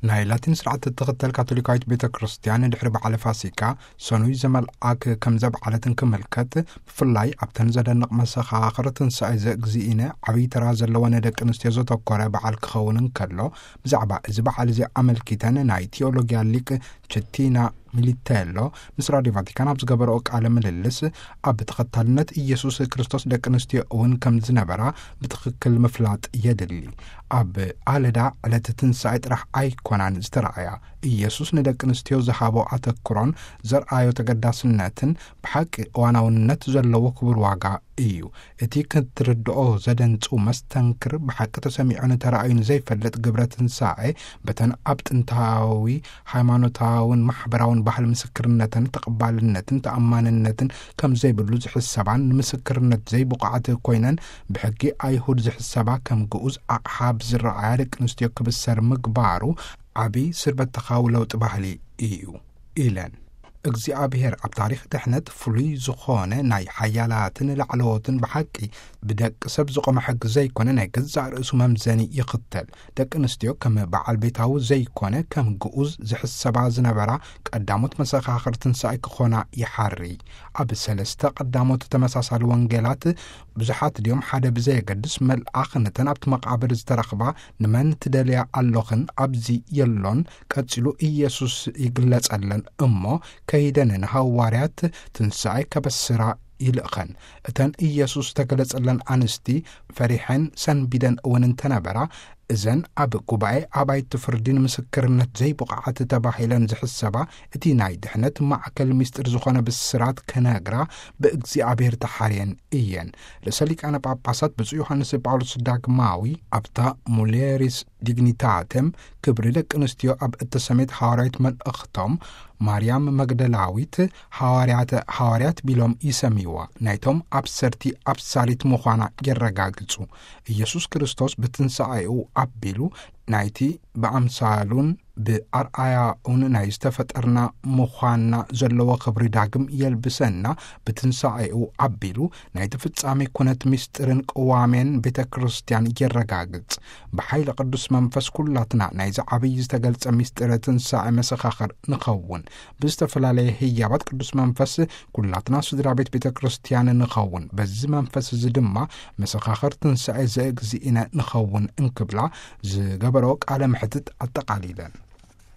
ናይ ላቲን ስርዓት እትኽተል ካቶሊካዊት ቤተ ክርስቲያን፣ ድሕሪ በዓለ ፋሲካ ሰኑይ ዘመልኣክ ከም ዘብዓለትን ክምልከት፣ ብፍላይ ኣብተን ዘደንቕ መሰኻኽር ትንሳኤ ዘእግዚእነ ዓብዪ ተራ ዘለወን ደቂ ኣንስትዮ ዘተኮረ በዓል ክኸውን እንከሎ፣ ብዛዕባ እዚ በዓል እዚ ኣመልኪተን ናይ ቲዮሎጊያ ሊቅ ችቲና ሚሊቴሎ ምስ ራዲዮ ቫቲካን ኣብ ዝገበረኦ ቃለ ምልልስ፣ ኣብ ተኸታልነት ኢየሱስ ክርስቶስ ደቂ ኣንስትዮ እውን ከም ዝነበራ ብትኽክል ምፍላጥ የድሊ። ኣብ ኣለዳ ዕለት ትንሳኤ ጥራሕ ኣይኮናን ዝተረኣያ። ኢየሱስ ንደቂ ኣንስትዮ ዝሃቦ ኣተክሮን ዘርኣዮ ተገዳስነትን ብሓቂ እዋናውነት ዘለዎ ክቡር ዋጋ እዩ። እቲ ክትርድኦ ዘደንጹ መስተንክር፣ ብሓቂ ተሰሚዑ ንተራእዩ ንዘይፈልጥ ግብረ ትንሳኤ፣ በተን ኣብ ጥንታዊ ሃይማኖታውን ማሕበራውን ባህል ምስክርነትን ተቐባልነትን ተኣማንነትን ከም ዘይብሉ ዝሕሰባን፣ ንምስክርነት ዘይብቑዓት ኮይነን ብሕጊ ኣይሁድ ዝሕሰባ ከም ግኡዝ ኣቕሓ ብዝረኣያ ደቂ ኣንስትዮ ክብሰር ምግባሩ፣ ዓቢ ስርበተኻዊ ለውጢ ባህሊ እዩ ኢለን። እግዚኣብሔር ኣብ ታሪኽ ድሕነት ፍሉይ ዝኾነ ናይ ሓያላትን ላዕለዎትን ብሓቂ ብደቂ ሰብ ዝቖመ ሕጊ ዘይኮነ ናይ ገዛእ ርእሱ መምዘኒ ይኽተል። ደቂ ኣንስትዮ ከም በዓል ቤታዊ ዘይኮነ ከም ግኡዝ ዝሕሰባ ዝነበራ ቀዳሞት መሰኻኽር ትንሳኤ ክኾና ይሓሪ። ኣብ ሰለስተ ቀዳሞት ተመሳሳሊ ወንጌላት ብዙሓት ድዮም ሓደ ብዘየገድስ መልኣኽ ነተን ኣብቲ መቓብር ዝተረኽባ ንመን ትደልያ ኣሎኽን ኣብዚ የሎን ቀጺሉ ኢየሱስ ይግለጸለን እሞ ከይደን ንሃዋርያት ትንሳኤ ከበስራ ይልእኸን። እተን ኢየሱስ ተገለጸለን ኣንስቲ ፈሪሐን ሰንቢደን እውን እንተነበራ፣ እዘን ኣብ ጉባኤ ኣባይቲ ፍርዲ ንምስክርነት ዘይብቑዓት ተባሂለን ዝሕሰባ እቲ ናይ ድሕነት ማዕከል ምስጢር ዝኾነ ብስራት ክነግራ ብእግዚኣብሔር ተሓርየን እየን። ርእሰ ሊቃነ ጳጳሳት ብፁዕ ዮሃንስ ጳውሎስ ዳግማዊ ኣብታ ሙሌሪስ ዲግኒታተም ክብሪ ደቂ ኣንስትዮ ኣብ እተሰሜት ሃዋርያዊት መልእኽቶም፣ ማርያም መግደላዊት ሃዋርያተ ሃዋርያት ቢሎም ይሰምይዋ፣ ናይቶም ኣብሰርቲ ኣብሳሪት ምዃና የረጋግጹ። ኢየሱስ ክርስቶስ ብትንሳኤኡ ኣቢሉ ናይቲ ብኣምሳሉን ብኣርኣያኡን ናይ ዝተፈጠርና ምዃንና ዘለዎ ክብሪ ዳግም የልብሰና። ብትንሳኤኡ ኣቢሉ ናይቲ ፍጻሜ ኩነት ምስጢርን ቅዋሜን ቤተ ክርስቲያን የረጋግጽ። ብሓይሊ ቅዱስ መንፈስ ኩላትና ናይዚ ዓብዪ ዝተገልጸ ምስጢረ ትንሳኤ መሰኻኽር ንኸውን። ብዝተፈላለየ ህያባት ቅዱስ መንፈስ ኩላትና ስድራ ቤት ቤተ ክርስቲያን ንኸውን። በዚ መንፈስ እዚ ድማ መሰኻኽር ትንሳኤ ዘእግዚእነ ንኸውን እንክብላ ዝገበረኦ ቃለ መሕትት ኣጠቓሊለን።